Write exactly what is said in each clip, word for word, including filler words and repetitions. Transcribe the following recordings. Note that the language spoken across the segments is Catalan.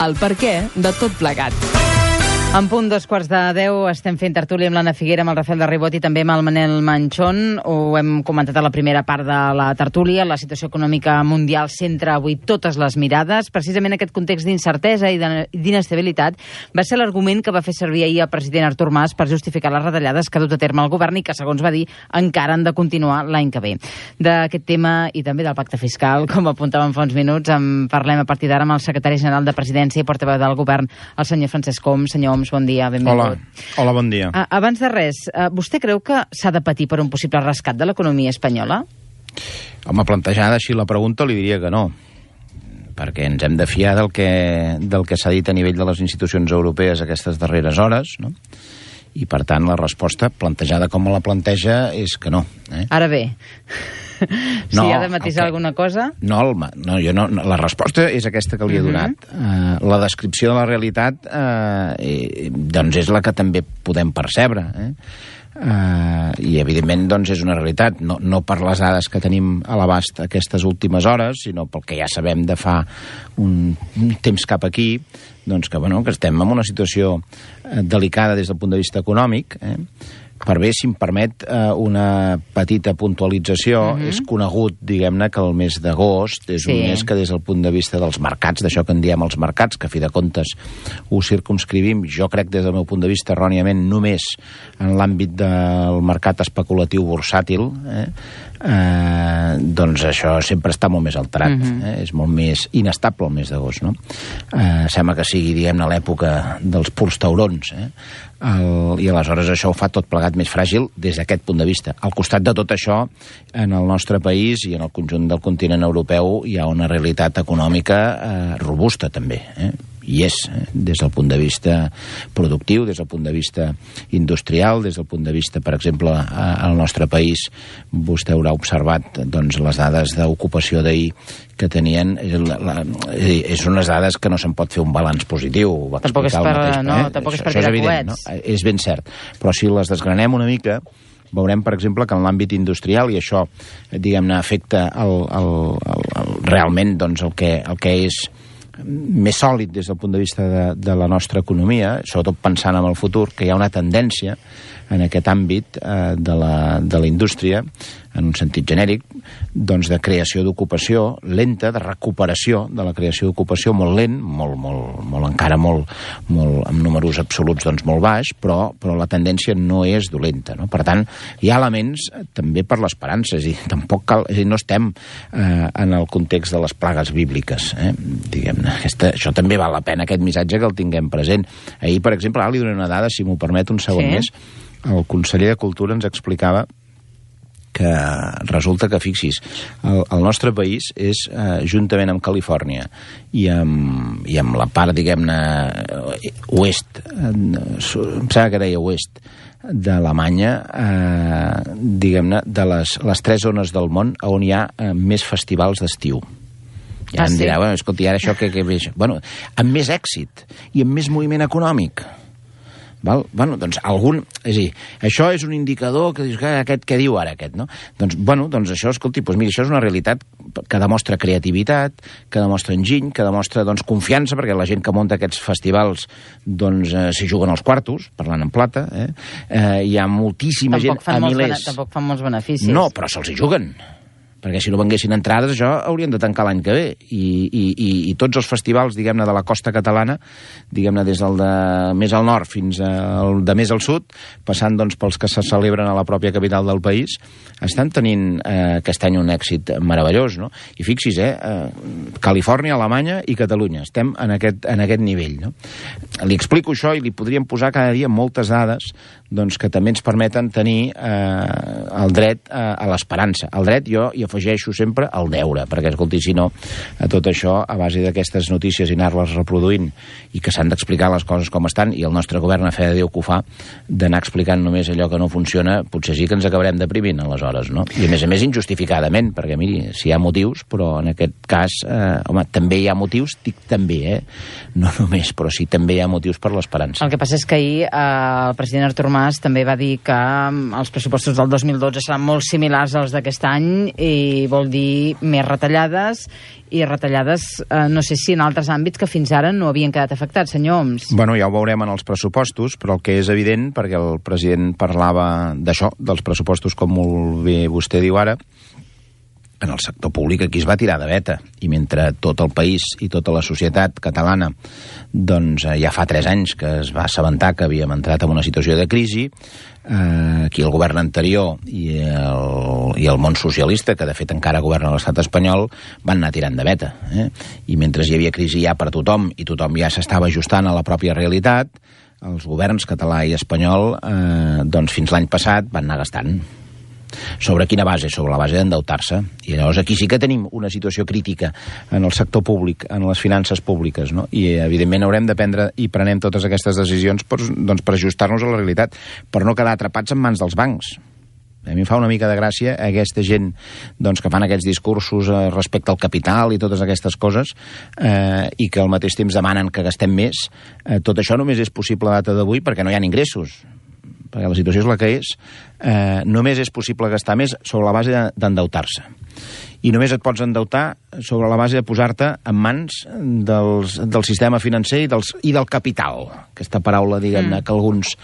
el perquè de tot plegat. En punt dos quarts de deu estem fent tertúlia amb l'Anna Figuera, amb el Rafael de Ribot i també amb el Manel Manchón. Ho hem comentat a la primera part de la tertúlia. La situació econòmica mundial centra avui totes les mirades. Precisament aquest context d'incertesa i d'inestabilitat va ser l'argument que va fer servir ahir el president Artur Mas per justificar les retallades que ha dut a terme el govern i que, segons va dir, encara han de continuar l'any que ve. D'aquest tema i també del pacte fiscal, com apuntàvem fa uns minuts, en parlem a partir d'ara amb el secretari general de Presidència i portaveu del govern, el senyor Francesc Homs. Senyor Homs, bon dia, benvingut. Hola, Hola bon dia. Uh, abans de res, uh, vostè creu que s'ha de patir per un possible rescat de l'economia espanyola? Home, plantejada així la pregunta li diria que no, perquè ens hem de fiar del que, del que s'ha dit a nivell de les institucions europees aquestes darreres hores, no? I, per tant, la resposta, plantejada com la planteja, és que no. Eh? Ara bé, si no, ha de matisar okay. alguna cosa... No, el, no, jo no, la resposta és aquesta que li he donat. Uh -huh. uh, la descripció de la realitat uh, eh, doncs és la que també podem percebre, eh? Uh, i evidentment doncs és una realitat, no, no per les dades que tenim a l'abast aquestes últimes hores, sinó pel que ja sabem de fa un, un temps cap aquí, doncs que, bueno, que estem en una situació eh, delicada des del punt de vista econòmic, eh? Per bé, si em permet eh, una petita puntualització, uh-huh. és conegut, diguem-ne, que el mes d'agost és sí. un mes que des del punt de vista dels mercats, d'això que en diem els mercats, que a fi de comptes ho circumscrivim, jo crec des del meu punt de vista erròniament només en l'àmbit del mercat especulatiu bursàtil, eh? Eh, doncs això sempre està molt més alterat, uh-huh. eh? És molt més inestable el mes d'agost, no? Eh, sembla que sigui, diguem-ne, l'època dels purs taurons, eh? El, i aleshores això ho fa tot plegat més fràgil des d'aquest punt de vista. Al costat de tot això, en el nostre país i en el conjunt del continent europeu hi ha una realitat econòmica eh, robusta també, eh? I és, eh? des del punt de vista productiu, des del punt de vista industrial, des del punt de vista, per exemple, al nostre país, vostè haurà observat doncs, les dades d'ocupació d'ahir que tenien, la, la, és unes dades que no se'n pot fer un balanç positiu. Ho va tampoc és per, mateix, no, eh? tampoc és això, per això és tirar evident, coets. No? És ben cert. Però si les desgranem una mica, veurem, per exemple, que en l'àmbit industrial, i això, diguem-ne, afecta el, el, el, el, realment doncs, el, que, el que és més sòlid des del punt de vista de, de la nostra economia, sobretot pensant en el futur, que hi ha una tendència en aquest àmbit eh, de, la, de la indústria, en un sentit genèric, doncs de creació d'ocupació lenta, de recuperació de la creació d'ocupació molt lent, molt, molt, molt encara molt, molt, amb números absoluts doncs molt baix, però, però la tendència no és dolenta, no? Per tant, hi ha elements també per l'esperança, és a dir, tampoc cal, és a dir, no estem eh, en el context de les plagues bíbliques, eh? Diguem-ne, aquesta, això també val la pena, aquest missatge que el tinguem present. Ahir, per exemple, ara li donaré una dada, si m'ho permet un segon sí. més, el conseller de Cultura ens explicava que resulta que, fixis, el, el nostre país és, eh, juntament amb Califòrnia i amb, i amb la part, diguem-ne, oest, eh, em sembla que deia oest, d'Alemanya, eh, diguem-ne, de les, les tres zones del món on hi ha eh, més festivals d'estiu. Ja ah, em dirà, sí? Bueno, escolti, ara això que, que veig... Bueno, amb més èxit i amb més moviment econòmic. Val? Bueno, doncs algun... És a dir, això és un indicador que dius, que aquest, què diu ara aquest, no? Doncs, bueno, doncs això, escolti, doncs mira, això és una realitat que demostra creativitat, que demostra enginy, que demostra, doncs, confiança, perquè la gent que munta aquests festivals, doncs, eh, s'hi juguen els quartos, parlant en plata, eh? Eh, hi ha moltíssima tampoc gent, a milers... Tampoc fan molts beneficis. No, però se'ls hi juguen. Perquè si no venguessin entrades, això haurien de tancar l'any que ve. I, i, i, i tots els festivals, diguem-ne, de la costa catalana, diguem-ne, des del de més al nord fins al de més al sud, passant, doncs, pels que se celebren a la pròpia capital del país, estan tenint eh, aquest any un èxit meravellós, no? I fixis, eh, eh, Califòrnia, Alemanya i Catalunya. Estem en aquest, en aquest nivell, no? Li explico això i li podríem posar cada dia moltes dades doncs, que també ens permeten tenir eh, el dret eh, a l'esperança. El dret, jo hi afegeixo sempre el deure, perquè, escolti, si no, a tot això, a base d'aquestes notícies i anar-les reproduint i que s'han d'explicar les coses com estan, i el nostre govern, a fe de Déu que ho fa, d'anar explicant només allò que no funciona, potser sí que ens acabarem deprimint, aleshores, no? I, a més a més, injustificadament, perquè, miri, si hi ha motius, però en aquest cas, eh, home, també hi ha motius, dic també, eh? No només, però sí, també hi ha motius per l'esperança. El que passa és que ahir eh, el president Artur Mas també va dir que els pressupostos del dos mil dotze seran molt similars als d'aquest any i i vol dir més retallades, i retallades, eh, no sé si en altres àmbits que fins ara no havien quedat afectats, senyor Homs. Bueno, ja ho veurem en els pressupostos, però el que és evident, perquè el president parlava d'això, dels pressupostos, com molt bé vostè diu ara, en el sector públic aquí es va tirar de veta, i mentre tot el país i tota la societat catalana doncs ja fa tres anys que es va assabentar que havíem entrat en una situació de crisi, eh, aquí el govern anterior i el, i el món socialista, que de fet encara governa l'estat espanyol, van anar tirant de veta. Eh? I mentre hi havia crisi ja per tothom i tothom ja s'estava ajustant a la pròpia realitat, els governs català i espanyol eh, doncs fins l'any passat van anar gastant. Sobre quina base? Sobre la base d'endeutar-se. I llavors aquí sí que tenim una situació crítica en el sector públic, en les finances públiques, no? I evidentment haurem de prendre i prenem totes aquestes decisions per, doncs, per ajustar-nos a la realitat, per no quedar atrapats en mans dels bancs. A mi em fa una mica de gràcia aquesta gent doncs, que fan aquests discursos eh, respecte al capital i totes aquestes coses eh, i que al mateix temps demanen que gastem més. Eh, tot això només és possible a data d'avui perquè no hi ha ingressos, perquè la situació és la que és. Eh, només és possible gastar més sobre la base d'endeutar-se. I només et pots endeutar sobre la base de posar-te en mans dels, del sistema financer i, dels, i del capital. Aquesta paraula, diguem-ne, mm. que alguns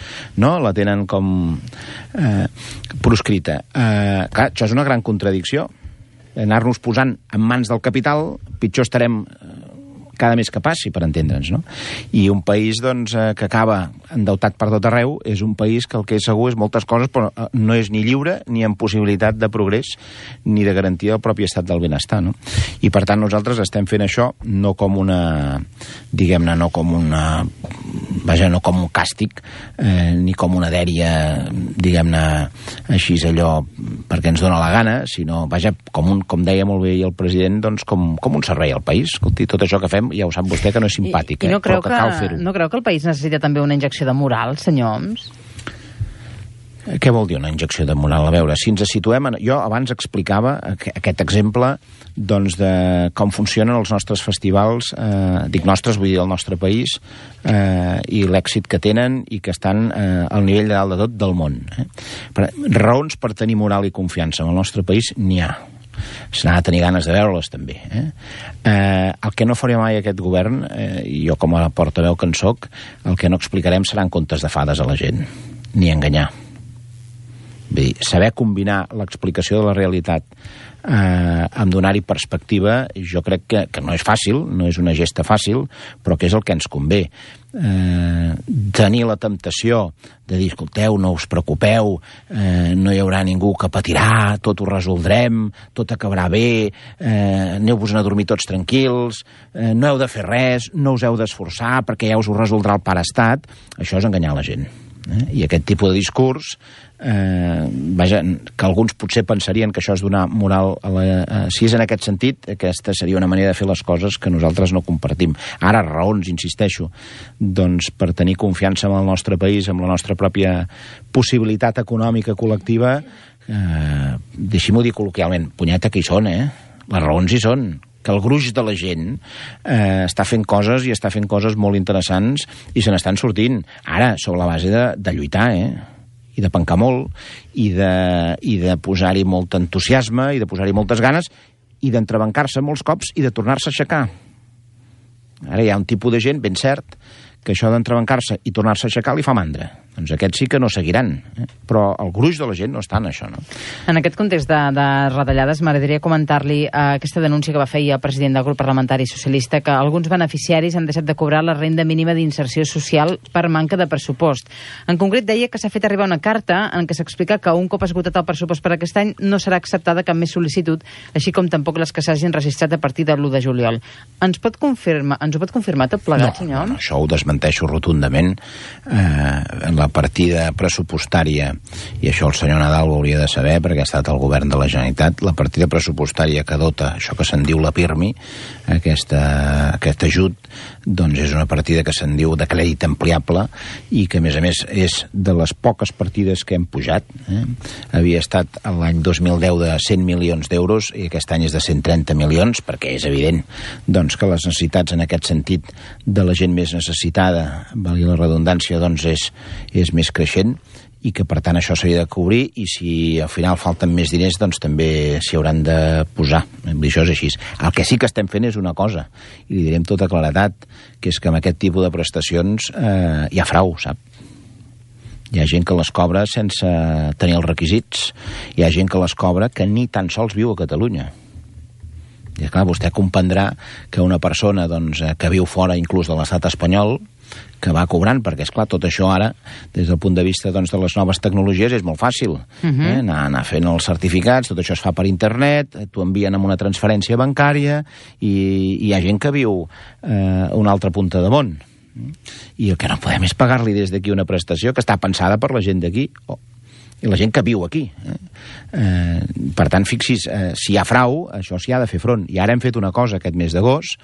no, la tenen com eh, proscrita. Eh, clar, això és una gran contradicció. Anar-nos posant en mans del capital, pitjor estarem cada mes que passi, per entendre'ns, no? I un país, doncs, eh, que acaba endeutat per tot arreu, és un país que el que és segur és moltes coses, però no és ni lliure, ni amb possibilitat de progrés, ni de garantia del propi estat del benestar, no? I, per tant, nosaltres estem fent això no com una, diguem-ne, no com una, vaja, no com un càstig, eh, ni com una dèria, diguem-ne, així allò, perquè ens dóna la gana, sinó, vaja, com, un, com deia molt bé el president, doncs, com, com un servei al país. Escolti, tot això que fem ja ho sap vostè que no és simpàtic, I, i no eh? Però que, que cal fer-ho. No creu que el país necessita també una injecció de moral, senyor Homs? Què vol dir una injecció de moral? A veure, si ens situem... En... Jo abans explicava aquest exemple doncs, de com funcionen els nostres festivals, eh, dic nostres, vull dir el nostre país, eh, i l'èxit que tenen i que estan eh, al nivell de dalt de tot del món. Eh? Per, raons per tenir moral i confiança en el nostre país n'hi ha. Se n'ha de tenir ganes de veure-les, també. Eh? Eh, el que no faré mai aquest govern, eh, i jo com a portaveu que en soc, el que no explicarem seran contes de fades a la gent, ni enganyar. Vull dir, saber combinar l'explicació de la realitat eh, amb donar-hi perspectiva, jo crec que, que no és fàcil, no és una gesta fàcil, però que és el que ens convé. Eh, tenir la temptació de dir, escolteu, no us preocupeu, eh, no hi haurà ningú que patirà, tot ho resoldrem, tot acabarà bé, eh, aneu-vos a dormir tots tranquils, eh, no heu de fer res, no us heu d'esforçar perquè ja us ho resoldrà el pare estat. Això és enganyar la gent. Eh? I aquest tipus de discurs, eh, vaja, que alguns potser pensarien que això és donar moral a la, eh, si és en aquest sentit, aquesta seria una manera de fer les coses que nosaltres no compartim. Ara, raons, insisteixo, doncs per tenir confiança en el nostre país, en la nostra pròpia possibilitat econòmica col·lectiva, eh, deixi-m'ho dir col·loquialment, punyeta que hi són, eh? Les raons hi són, que el gruix de la gent eh, està fent coses i està fent coses molt interessants i se n'estan sortint. Ara, sobre la base de, de lluitar, eh? I de pencar molt, i de, i de posar-hi molt entusiasme, i de posar-hi moltes ganes, i d'entrebancar-se molts cops i de tornar-se a aixecar. Ara hi ha un tipus de gent, ben cert, que això d'entrebancar-se i tornar-se a aixecar li fa mandra. Doncs aquests sí que no seguiran. Eh? Però el gruix de la gent no està en això, no? En aquest context de, de retallades, m'agradaria comentar-li eh, aquesta denúncia que va fer el president del grup parlamentari socialista, que alguns beneficiaris han deixat de cobrar la renda mínima d'inserció social per manca de pressupost. En concret, deia que s'ha fet arribar una carta en què s'explica que un cop esgotat el pressupost per aquest any no serà acceptada cap més sol·licitud, així com tampoc les que s'hagin registrat a partir de l'u de juliol. Ens pot confirmar, ens ho pot confirmar tot plegat, no, senyor? No, això ho desmenteixo rotundament. Eh, en la partida pressupostària, i això el senyor Nadal ho hauria de saber perquè ha estat el govern de la Generalitat, la partida pressupostària que dota això que se'n diu la PIRMI, aquesta, aquest ajut, doncs és una partida que se'n diu de crèdit ampliable i que a més a més és de les poques partides que hem pujat. Eh? Havia estat l'any dos mil deu de cent milions d'euros i aquest any és de cent trenta milions, perquè és evident doncs, que les necessitats en aquest sentit de la gent més necessitada, valgui la redundància, doncs és, és més creixent i que per tant això s'havia de cobrir, i si al final falten més diners doncs també s'hi hauran de posar. Això és així. El que sí que estem fent és una cosa, i li direm tota claredat, que és que amb aquest tipus de prestacions eh, hi ha frau, sap? Hi ha gent que les cobra sense tenir els requisits, hi ha gent que les cobra que ni tan sols viu a Catalunya. I clar, vostè comprendrà que una persona doncs, que viu fora inclús de l'estat espanyol, que va cobrant, perquè, esclar, tot això ara, des del punt de vista doncs, de les noves tecnologies, és molt fàcil. Uh-huh. eh? anar, anar fent els certificats, tot això es fa per internet, t'ho envien amb una transferència bancària, i, i hi ha gent que viu eh, a una altra punta de món. I el que no podem és pagar-li des d'aquí una prestació que està pensada per la gent d'aquí, o i la gent que viu aquí. Eh? Eh, per tant, fixis, eh, si hi ha frau, això s'hi ha de fer front. I ara hem fet una cosa aquest mes d'agost,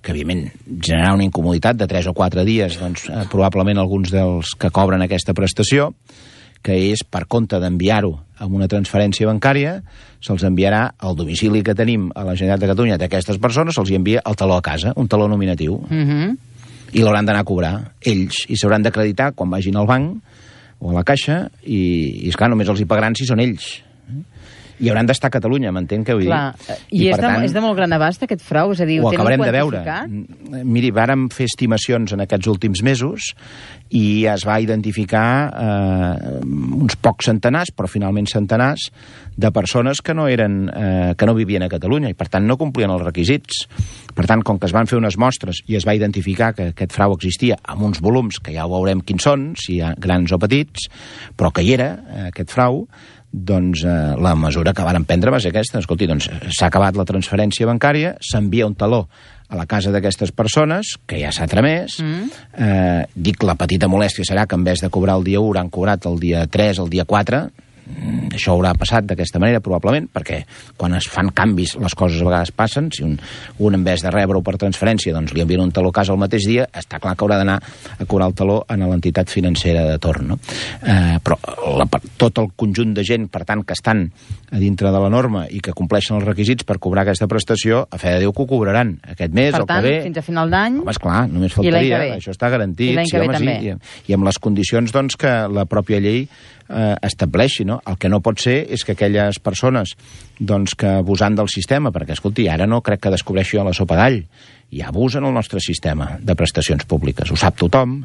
que evidentment generarà una incomoditat de tres o quatre dies, doncs eh, probablement alguns dels que cobren aquesta prestació, que és per compte d'enviar-ho amb una transferència bancària, se'ls enviarà al domicili que tenim a la Generalitat de Catalunya d'aquestes persones, se'ls envia el taló a casa, un taló nominatiu. Uh-huh. I l'hauran d'anar a cobrar ells, i s'hauran d'acreditar quan vagin al banc o a la caixa, i, i esclar, només els hi pagaran si són ells. I hauran d'estar a Catalunya, m'entenc què vull Clar. dir? I, I és, de, tant, és de molt gran abast, aquest frau? És a dir, ho, ho acabarem de veure. quantificat? Miri, vàrem fer estimacions en aquests últims mesos i es va identificar eh, uns pocs centenars, però finalment centenars, de persones que no, eren, eh, que no vivien a Catalunya i, per tant, no complien els requisits. Per tant, com que es van fer unes mostres i es va identificar que aquest frau existia amb uns volums, que ja ho veurem quins són, si hi ha grans o petits, però que hi era, eh, aquest frau, doncs eh, la mesura que varen prendre va ser aquesta. Escolti, doncs s'ha acabat la transferència bancària, s'envia un taló a la casa d'aquestes persones, que ja s'ha tramès. Mm. Eh, dic, la petita molèstia serà que en vez de cobrar el dia u, hauran cobrat el dia tres, el dia quatre. Això haurà passat d'aquesta manera, probablement, perquè quan es fan canvis les coses a vegades passen. Si un, un en vez de rebre-ho per transferència doncs li envien un taló a casa el mateix dia, està clar que haurà d'anar a cobrar el taló a l'entitat financera de torn, no? Eh, però la, tot el conjunt de gent, per tant, que estan a dintre de la norma i que compleixen els requisits per cobrar aquesta prestació, a fe de Déu que ho cobraran aquest mes, per o tant, que ve. Fins a final d'any. Home, esclar, només faltaria, això està garantit. I l'any que ve home, també. Sí, i, i amb les condicions doncs, que la pròpia llei eh, estableixi, no? El que no pot ser és que aquelles persones doncs, que abusant del sistema, perquè, escolti, ara no crec que descobreixi jo la sopa d'all, i abusen el nostre sistema de prestacions públiques, ho sap tothom,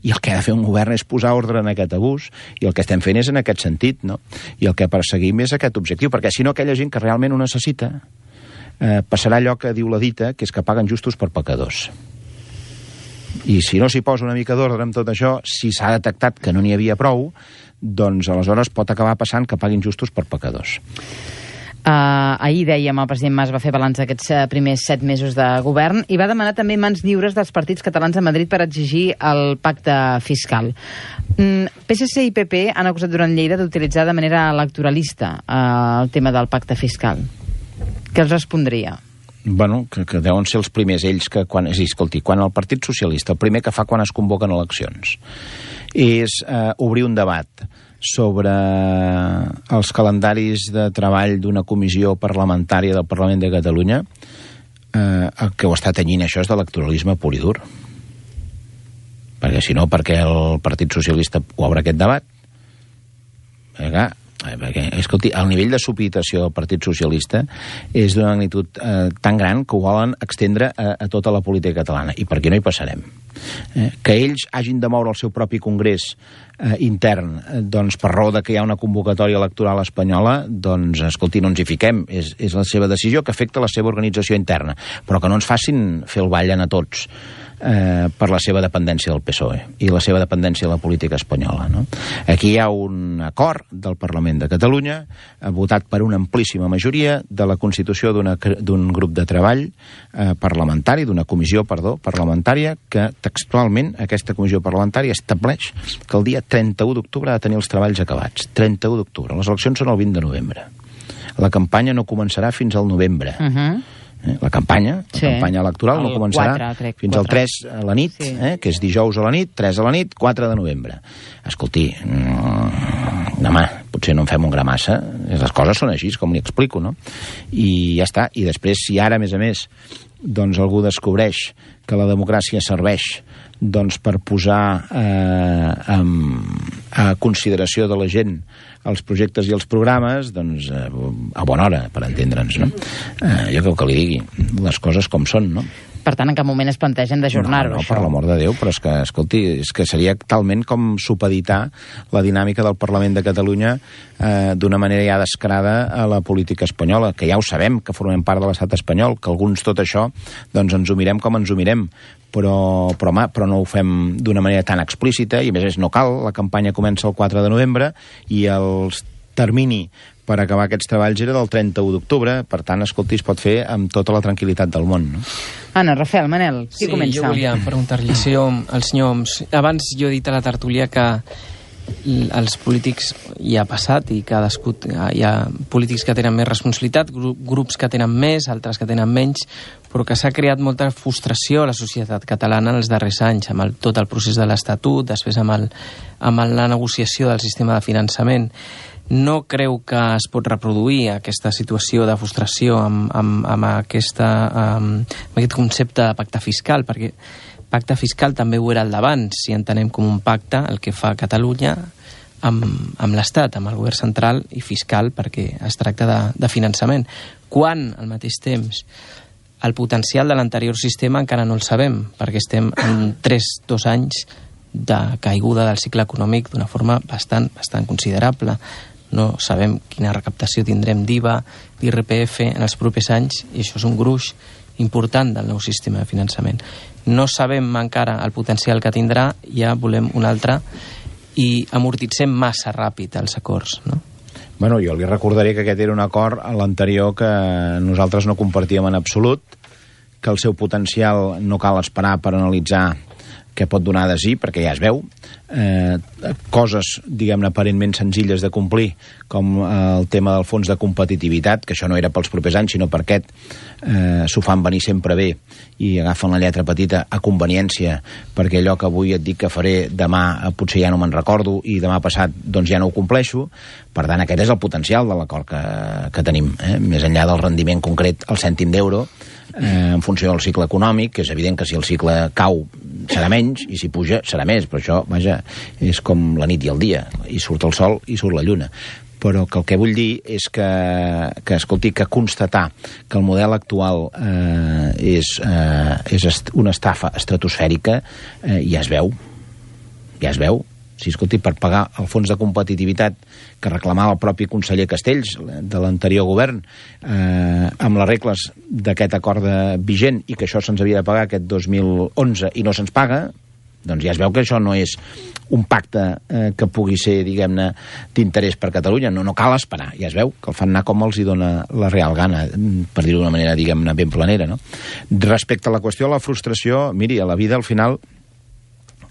i el que ha de fer un govern és posar ordre en aquest abús, i el que estem fent és en aquest sentit, no? I el que perseguim és aquest objectiu, perquè si no aquella gent que realment ho necessita eh, passarà allò que diu la dita, que és que paguen justos per pecadors. I si no s'hi posa una mica d'ordre amb tot això, si s'ha detectat que no n'hi havia prou, doncs aleshores pot acabar passant que paguin justos per pecadors. Uh, ahir, dèiem, el president Mas va fer balanç d'aquests uh, primers set mesos de govern i va demanar també mans lliures dels partits catalans a Madrid per exigir el pacte fiscal. Mm, P S C i P P han acusat durant Lleida d'utilitzar de manera electoralista uh, el tema del pacte fiscal. Què els respondria? Bueno, que, que deuen ser els primers ells que quan... És a dir, escolti, quan el Partit Socialista, el primer que fa quan es convoquen eleccions, és eh, obrir un debat sobre els calendaris de treball d'una comissió parlamentària del Parlament de Catalunya, eh, el que ho està tenyint això és d'electoralisme pur i dur. Perquè si no, perquè el Partit Socialista obre aquest debat? Perquè, perquè, escolti, el nivell de supeditació del Partit Socialista és d'una magnitud eh, tan gran que ho volen extendre a, a tota la política catalana, i per aquí no hi passarem. Eh, que ells hagin de moure el seu propi congrés eh, intern, eh, doncs per raó de que hi ha una convocatòria electoral espanyola, doncs, escolti, no ens hi fiquem, és, és la seva decisió que afecta la seva organització interna, però que no ens facin fer el ball a tots eh, per la seva dependència del P S O E i la seva dependència de la política espanyola, no? Aquí hi ha un acord del Parlament de Catalunya, eh, votat per una amplíssima majoria, de la constitució d'un grup de treball eh, parlamentari, d'una comissió, perdó, parlamentària, que textualment aquesta comissió parlamentària estableix que el dia trenta-u d'octubre ha de tenir els treballs acabats. trenta-u d'octubre. Les eleccions són el vint de novembre. La campanya no començarà fins al novembre. Uh-huh. Eh, la campanya, la sí. campanya electoral el no començarà quatre, crec, fins quatre. al tres a la nit, sí. eh, que és dijous a la nit, tres a la nit, quatre de novembre. Escolti, mm, home, potser no en fem un gra massa, les coses són així, com li explico, no? I ja està, i després, si ara, a més a més, doncs algú descobreix que la democràcia serveix doncs per posar eh, en, a consideració de la gent els projectes i els programes, doncs eh, a bona hora, per entendre'ns, no? Eh, jo crec que li digui les coses com són, no? Per tant, en cap moment es plantegen d'ajornar-ho, no, no, això. per l'amor de Déu, però és que, escolti, és que seria talment com supeditar la dinàmica del Parlament de Catalunya eh, d'una manera ja descarada a la política espanyola, que ja ho sabem, que formem part de l'estat espanyol, que alguns tot això, doncs ens ho mirem com ens ho mirem, però, però, home, però no ho fem d'una manera tan explícita, i a més no cal, la campanya comença el quatre de novembre, i el termini per acabar aquests treballs era del trenta-u d'octubre, per tant, escolti, es pot fer amb tota la tranquil·litat del món, no? Anna, Rafael, Manel, qui sí, comença? Sí, jo volia preguntar-li si al senyor Homs. Abans jo he dit a la tertúlia que els polítics ja ha passat i cadascú, hi ha polítics que tenen més responsabilitat, grups que tenen més, altres que tenen menys, però que s'ha creat molta frustració a la societat catalana en els darrers anys, amb el, tot el procés de l'Estatut, després amb, el, amb la negociació del sistema de finançament. No creu que es pot reproduir aquesta situació de frustració amb, amb, amb, aquesta, amb, amb aquest concepte de pacte fiscal, perquè pacte fiscal també ho era al davant, si entenem com un pacte el que fa Catalunya amb, amb l'Estat, amb el govern central i fiscal, perquè es tracta de, de finançament. Quan, al mateix temps, el potencial de l'anterior sistema encara no el sabem, perquè estem en tres, dos anys de caiguda del cicle econòmic d'una forma bastant, bastant considerable. No sabem quina recaptació tindrem d'I V A, d'I R P F en els propers anys, i això és un gruix important del nou sistema de finançament. No sabem encara el potencial que tindrà, ja volem un altre, i amortitzem massa ràpid els acords, no? Bueno, jo li recordaré que aquest era un acord a l'anterior que nosaltres no compartíem en absolut, que el seu potencial no cal esperar per analitzar què pot donar de sí, perquè ja es veu. Eh, coses, diguem-ne, aparentment senzilles de complir, com el tema del fons de competitivitat, que això no era pels propers anys, sinó per aquest, eh, s'ho fan venir sempre bé i agafen la lletra petita a conveniència, perquè allò que avui et dic que faré demà eh, potser ja no me'n recordo i demà passat doncs ja no ho compleixo. Per tant, aquest és el potencial de l'acord que, que tenim, eh? Més enllà del rendiment concret, el cèntim d'euro, eh, en funció del cicle econòmic, que és evident que si el cicle cau serà menys, i si puja serà més, però això, vaja, és com la nit i el dia, i surt el sol i surt la lluna. Però que el que vull dir és que, que escolti, que constatar que el model actual eh, és, eh, és est una estafa estratosfèrica, eh, ja es veu, ja es veu. Si, escolti, per pagar el fons de competitivitat que reclamava el propi conseller Castells de l'anterior govern, eh, amb les regles d'aquest acord de vigent, i que això se'ns havia de pagar aquest dos mil onze i no se'ns paga, doncs ja es veu que això no és un pacte eh, que pugui ser, diguem-ne, d'interès per Catalunya. No, no cal esperar, ja es veu que el fan anar com els hi dona la real gana, per dir-ho d'una manera, diguem-ne, ben planera, no? Respecte a la qüestió de la frustració, miri, a la vida, al final,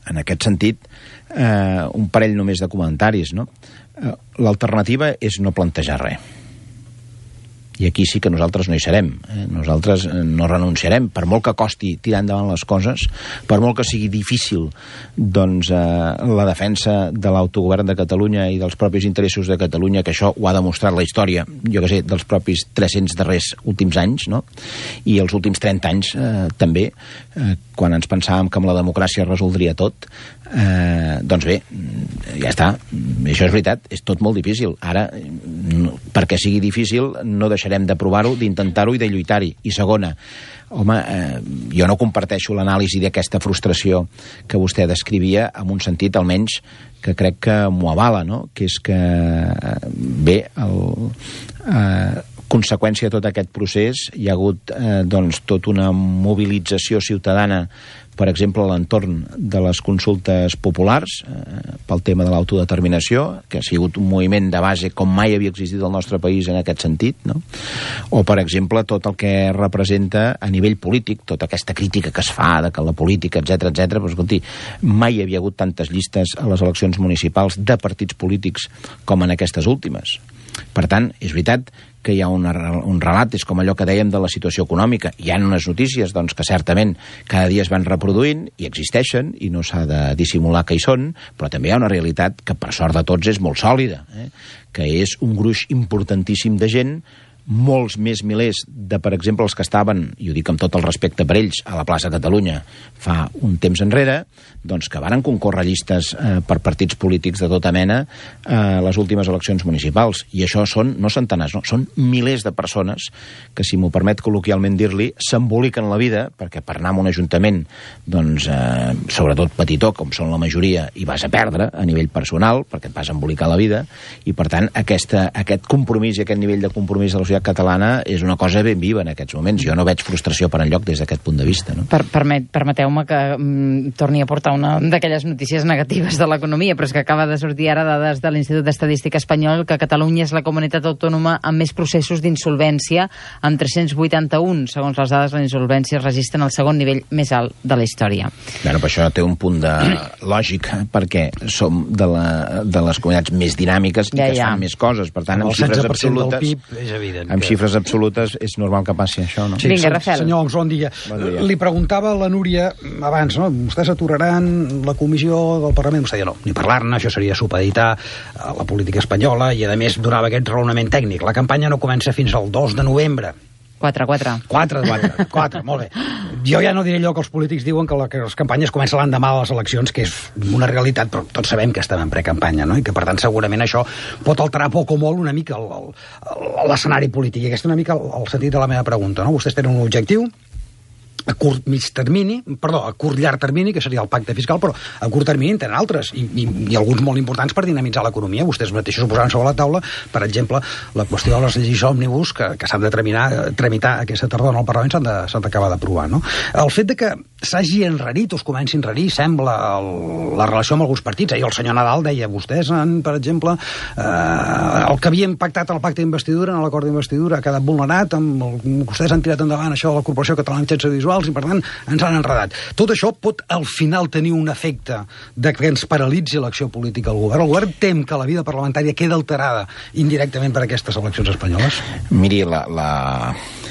en aquest sentit, eh, un parell només de comentaris, no? Eh, l'alternativa és no plantejar res. I aquí sí que nosaltres no hi serem. Eh? Nosaltres no renunciarem. Per molt que costi tirar endavant les coses, per molt que sigui difícil doncs, eh, la defensa de l'autogovern de Catalunya i dels propis interessos de Catalunya, que això ho ha demostrat la història, jo que sé, dels propis tres-cents darrers últims anys, no? I els últims trenta anys eh, també, eh, quan ens pensàvem que amb la democràcia es resoldria tot, eh, doncs bé, ja està. Això és veritat, és tot molt difícil. Ara, no, perquè sigui difícil, no deixarem de provar-ho, d'intentar-ho i de lluitar-hi. I segona, home, eh, jo no comparteixo l'anàlisi d'aquesta frustració que vostè descrivia, en un sentit almenys que crec que m'ho avala, no? Que és que, bé, el, eh, conseqüència de tot aquest procés hi ha hagut eh, doncs, tota una mobilització ciutadana, per exemple, a l'entorn de les consultes populars eh, pel tema de l'autodeterminació, que ha sigut un moviment de base com mai havia existit al nostre país en aquest sentit, no? O, per exemple, tot el que representa a nivell polític, tota aquesta crítica que es fa de que la política, etcètera, etcètera, però, escolti, mai hi havia hagut tantes llistes a les eleccions municipals de partits polítics com en aquestes últimes. Per tant, és veritat que hi ha una, un relat, és com allò que dèiem de la situació econòmica. Hi ha unes notícies doncs, que certament cada dia es van reproduint i existeixen, i no s'ha de dissimular que hi són, però també hi ha una realitat que per sort de tots és molt sòlida, eh? que és un gruix importantíssim de gent, molts més milers de, per exemple, els que estaven, i ho dic amb tot el respecte per ells, a la plaça Catalunya fa un temps enrere, doncs que varen concórrer llistes eh, per partits polítics de tota mena a eh, les últimes eleccions municipals. I això són, no centenars, no, són milers de persones que, si m'ho permet col·loquialment dir-li, s'emboliquen la vida, perquè per anar a un ajuntament, doncs, eh, sobretot petitó, com són la majoria, hi vas a perdre a nivell personal, perquè et vas embolicar la vida, i per tant aquesta, aquest compromís i aquest nivell de compromís de la societat catalana és una cosa ben viva en aquests moments. Jo no veig frustració per enlloc des d'aquest punt de vista. No? Per, permet, permeteu-me que mm, torni a portar una d'aquelles notícies negatives de l'economia, però és que acaba de sortir ara dades de l'Institut d'Estadística Espanyol que Catalunya és la comunitat autònoma amb més processos d'insolvència, amb tres-cents vuitanta-un. Segons les dades, la insolvència es registra en el segon nivell més alt de la història. Bueno, però això té un punt de lògic, perquè som de, la, de les comunitats més dinàmiques i ja, que es fan ja. més coses. Per tant, amb xifres absolutes... Del P I B és evident. Amb que... xifres absolutes és normal que passi això, no? Sí, vinga, Rafael. Senyor Oms, bon dia. bon dia. Li preguntava a la Núria abans, no? Vostès aturaran la comissió del Parlament? Vostè deia, no, ni parlar-ne, això seria supeditar la política espanyola, i a més donava aquest raonament tècnic. La campanya no comença fins al dos de novembre. quatre, quatre. quatre, quatre, quatre, molt bé. Jo ja no diré allò que els polítics diuen que, la, que les campanyes comencen l'endemà de les eleccions, que és una realitat, però tots sabem que estem en precampanya, no? I que, per tant, segurament això pot alterar poc o molt una mica l'escenari polític. I aquest és una mica el, el sentit de la meva pregunta, no? Vostès tenen un objectiu a curt mig termini, perdó, a curt llarg termini, que seria el pacte fiscal, però a curt termini en tenen altres, i, i, i alguns molt importants per dinamitzar l'economia. Vostès mateixos posaran sobre la taula, per exemple, la qüestió de les lleis òmnibus que, que s'han de tramitar, tramitar aquesta tardor en el Parlament, s'han d'acabar d'aprovar, no? El fet de que s'hagi enrarit o es comenci a enrarir, sembla, el, la relació amb alguns partits. Ahir el senyor Nadal deia, vostès, han, per exemple, eh, el que havien pactat en el pacte d'investidura, en l'acord d'investidura, ha quedat vulnerat, amb el, vostès han tirat endavant això de la Corporació Catalana de Mitjans Audiovisuals, i per tant ens han enredat. Tot això pot al final tenir un efecte de que ens paralitzi l'acció política del govern. El govern tem que la vida parlamentària queda alterada indirectament per aquestes eleccions espanyoles? Miri, la, la...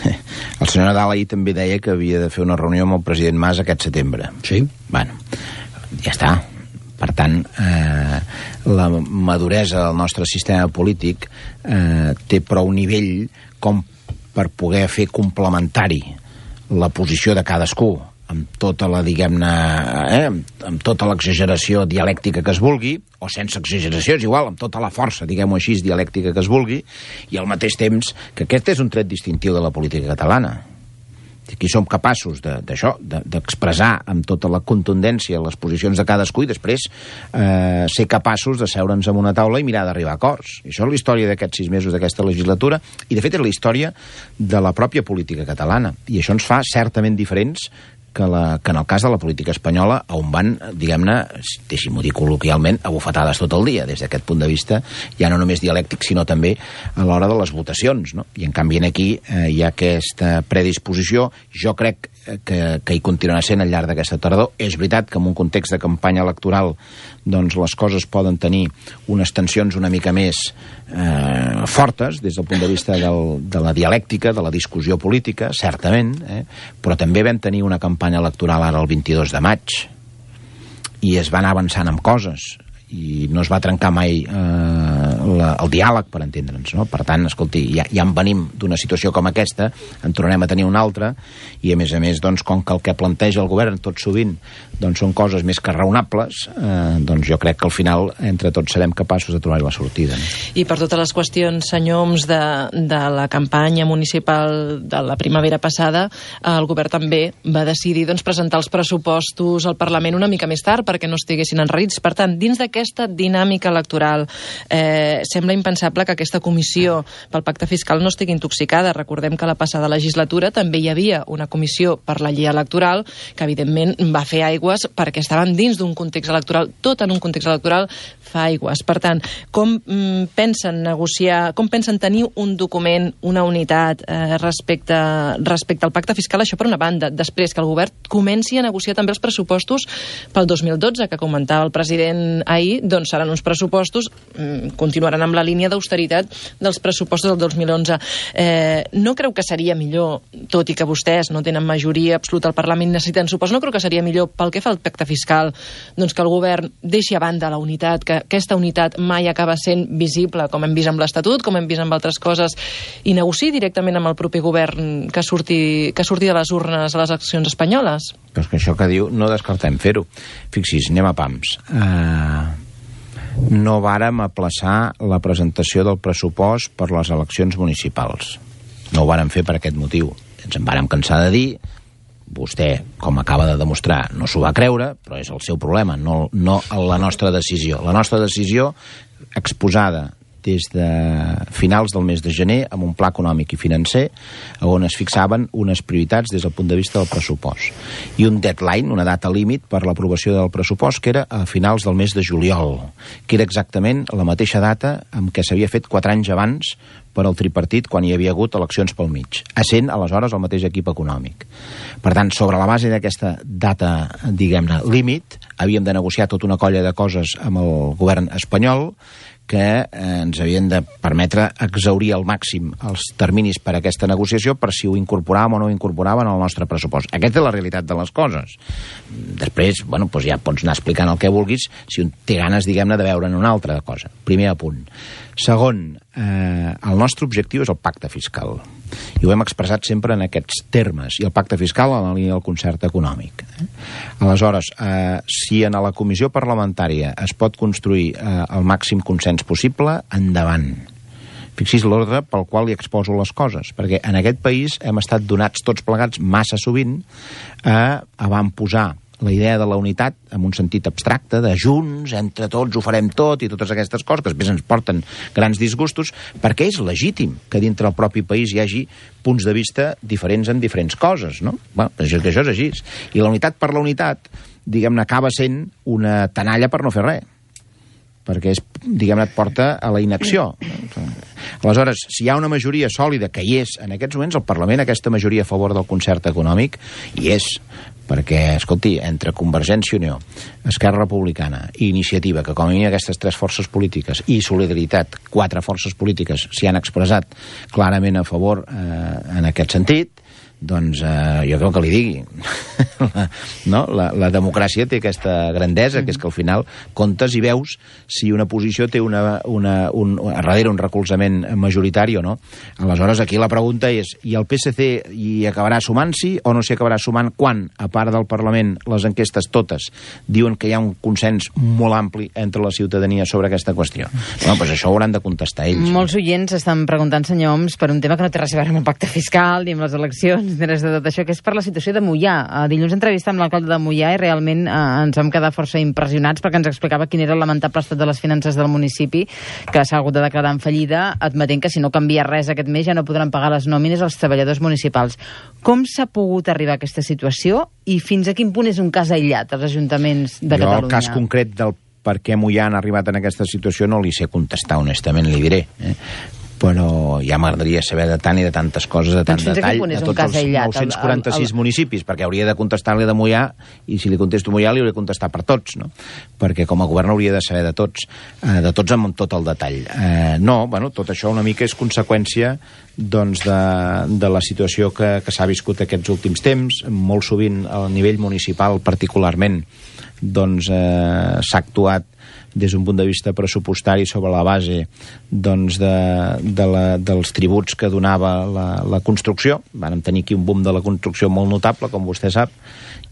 el senyor Nadal ahir també deia que havia de fer una reunió amb el president Mas aquest setembre. Sí. Bueno, ja està. Per tant, eh, la maduresa del nostre sistema polític eh, té prou nivell com per poder fer complementari la posició de cadascú, amb tota la, diguem-ne, eh, amb tota l'exageració dialèctica que es vulgui, o sense exageració, és igual, amb tota la força, diguem-ho així, dialèctica que es vulgui, i al mateix temps que aquest és un tret distintiu de la política catalana. Aquí som capaços d'això, de, d'expressar de, amb tota la contundència les posicions de cadascú i després eh, ser capaços de seure'ns en una taula i mirar d'arribar a acords. I això és la història d'aquests sis mesos d'aquesta legislatura i, de fet, és la història de la pròpia política catalana. I això ens fa certament diferents que, la, que en el cas de la política espanyola, on van, diguem-ne, deixi-m'ho dir col·loquialment, abofetades tot el dia. Des d'aquest punt de vista, ja no només dialèctic, sinó també a l'hora de les votacions, no? I en canvi aquí eh, hi ha aquesta predisposició. Jo crec que, que hi continuarà sent al llarg d'aquesta tardor. És veritat que en un context de campanya electoral doncs les coses poden tenir unes tensions una mica més eh, fortes des del punt de vista del, de la dialèctica, de la discussió política, certament, eh? Però també vam tenir una campanya electoral ara el vint-i-dos de maig i es va anar avançant amb coses i no es va trencar mai eh, la, el diàleg, per entendre'ns, no? Per tant, escolti, ja, ja en venim d'una situació com aquesta, en tornarem a tenir una altra, i a més a més, doncs, com que el que planteja el govern tot sovint doncs són coses més que raonables, eh, doncs jo crec que al final entre tots serem capaços de trobar la sortida. No? I per totes les qüestions, senyor Homs, de, de la campanya municipal de la primavera passada, el govern també va decidir doncs, presentar els pressupostos al Parlament una mica més tard perquè no estiguessin enrarits. Per tant, dins d'aquest aquesta dinàmica electoral eh, sembla impensable que aquesta comissió pel pacte fiscal no estigui intoxicada. Recordem que la passada legislatura també hi havia una comissió per la llei electoral que evidentment va fer aigües perquè estaven dins d'un context electoral, tot en un context electoral fa aigües. Per tant, com mm, pensen negociar, com pensen tenir un document, una unitat eh, respecte, respecte al pacte fiscal, això per una banda. Després que el govern comenci a negociar també els pressupostos pel dos mil dotze, que comentava el president ahir, doncs seran uns pressupostos, continuaran continuaran amb la línia d'austeritat dels pressupostos del dos mil onze. Eh, no creu que seria millor, tot i que vostès no tenen majoria absoluta al Parlament, necessiten suposo, no creu que seria millor pel que fa al pacte fiscal doncs que el govern deixi a banda la unitat, que aquesta unitat mai acaba sent visible, com hem vist amb l'Estatut, com hem vist amb altres coses, i negociï directament amb el propi govern que surti, que surti de les urnes a les eleccions espanyoles? Però és que això que diu, no descartem fer-ho. Fixi's, anem a pams. Uh, no vàrem aplaçar la presentació del pressupost per les eleccions municipals. No ho vàrem fer per aquest motiu. Ens en vàrem cansar de dir, vostè, com acaba de demostrar, no s'ho va creure, però és el seu problema, no, no la nostra decisió. La nostra decisió, exposada des de finals del mes de gener amb un pla econòmic i financer on es fixaven unes prioritats des del punt de vista del pressupost i un deadline, una data límit per l'aprovació del pressupost que era a finals del mes de juliol, que era exactament la mateixa data amb què s'havia fet quatre anys abans per al tripartit quan hi havia hagut eleccions pel mig, essent aleshores el mateix equip econòmic. Per tant, sobre la base d'aquesta data, diguem-ne, límit, havíem de negociar tota una colla de coses amb el govern espanyol que eh, ens havien de permetre exhaurir al màxim els terminis per a aquesta negociació per si ho incorporàvem o no ho incorporàvem al nostre pressupost. Aquesta és la realitat de les coses. Després, bueno, doncs ja pots anar explicant el que vulguis si un té ganes, diguem-ne, de veure'n una altra cosa. Primer apunt. Segon, eh, el nostre objectiu és el pacte fiscal. I ho hem expressat sempre en aquests termes. I el pacte fiscal en la línia del concert econòmic. Eh? Aleshores, eh, si en la comissió parlamentària es pot construir eh, el màxim consens possible, endavant. Fixis l'ordre pel qual li exposo les coses, perquè en aquest país hem estat donats tots plegats massa sovint a avantposar la idea de la unitat en un sentit abstracte, de junts, entre tots ho farem tot i totes aquestes coses que després ens porten grans disgustos, perquè és legítim que dintre del propi país hi hagi punts de vista diferents en diferents coses, no? Bueno, això, això és així. I la unitat per la unitat, diguem-ne, acaba sent una tenalla per no fer res, perquè és, diguem-ne, et porta a la inacció. Aleshores, si hi ha una majoria sòlida, que hi és en aquests moments, el Parlament, aquesta majoria a favor del concert econòmic, hi és, perquè, escolti, entre Convergència i Unió, Esquerra Republicana i Iniciativa, que com a mínim aquestes tres forces polítiques, i Solidaritat, quatre forces polítiques s'hi han expressat clarament a favor eh, en aquest sentit, doncs eh, jo crec que li digui. no? la, la democràcia té aquesta grandesa, que és que al final comptes i veus si una posició té una, una, un, a darrere un recolzament majoritari o no. Aleshores, aquí la pregunta és, i el P S C hi acabarà sumant-s'hi o no s'hi acabarà sumant quan, a part del Parlament, les enquestes totes diuen que hi ha un consens molt ampli entre la ciutadania sobre aquesta qüestió? Bueno, doncs això ho hauran de contestar ells. Molts oients estan preguntant, senyor Homs, per un tema que no té res a veure amb el pacte fiscal ni amb les eleccions, de tot això, que és per la situació de Moià. Uh, dilluns entrevista amb l'alcalde de Moià i realment uh, ens vam quedar força impressionats perquè ens explicava quin era el lamentable estat de les finances del municipi, que s'ha hagut de declarar en fallida, admetent que si no canvia res aquest mes ja no podran pagar les nòmines als treballadors municipals. Com s'ha pogut arribar a aquesta situació i fins a quin punt és un cas aïllat als ajuntaments de jo, Catalunya? Jo el cas concret del per què Moià han arribat en aquesta situació no li sé contestar, honestament, li diré. Eh? Però ja m'agradaria saber de tant i de tantes coses, de tant doncs detall, de tots els nou-cents quaranta-sis el, el... municipis, perquè hauria de contestar-li de Moià, i si li contesto Moià li hauria de contestar per tots, no? Perquè com a govern hauria de saber de tots, eh, de tots amb tot el detall. Eh, no, bueno, tot això una mica és conseqüència doncs, de, de la situació que, que s'ha viscut aquests últims temps, molt sovint a nivell municipal particularment, doncs eh, s'ha actuat des d'un punt de vista pressupostari sobre la base doncs, de, de la, dels tributs que donava la, la construcció. Vam tenir aquí un boom de la construcció molt notable, com vostè sap,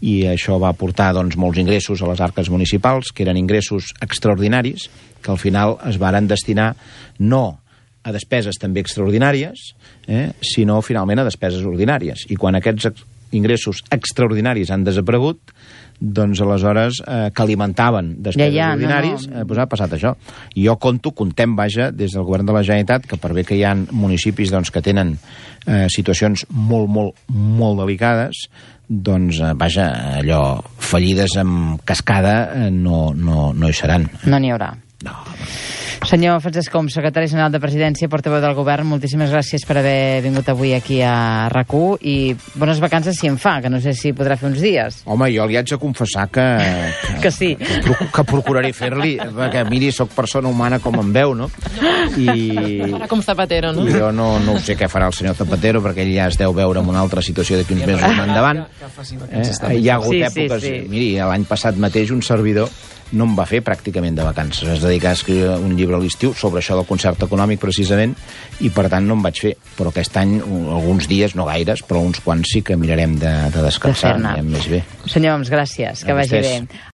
i això va portar doncs, molts ingressos a les arques municipals, que eren ingressos extraordinaris, que al final es varen destinar no a despeses també extraordinàries, eh, sinó finalment a despeses ordinàries. I quan aquests ingressos extraordinaris han desaparegut, doncs aleshores eh, que alimentaven despeses ja, ja, ordinaris, no, no. Eh, doncs ha passat això. I jo conto, contem, vaja, des del govern de la Generalitat, que per bé que hi ha municipis doncs, que tenen eh, situacions molt, molt, molt delicades, doncs, eh, vaja, allò, fallides amb cascada eh, no, no, no hi seran. No n'hi haurà. No. Senyor Francesc Homs, secretari general de Presidència, portaveu del Govern, moltíssimes gràcies per haver vingut avui aquí a RAC u i bones vacances si en fa, que no sé si podrà fer uns dies. Home, jo li haig de confessar que... Que, que sí. Que, que procuraré fer-li, perquè miri, sóc persona humana com em veu, no? I... Com Zapatero, no? Jo no, no sé què farà el senyor Zapatero, perquè ell ja es deu veure en una altra situació d'aquí uns mesos endavant. Eh? Hi ha hagut sí, èpoques... Sí, sí. Miri, l'any passat mateix un servidor no em va fer pràcticament de vacances. Es dedicar a escriure un llibre a l'estiu sobre això del concert econòmic, precisament, i per tant no em vaig fer. Però aquest any, alguns dies, no gaires, però uns quants sí que mirarem de, de descansar, de més bé. Senyor Homs, gràcies, que vagi bé.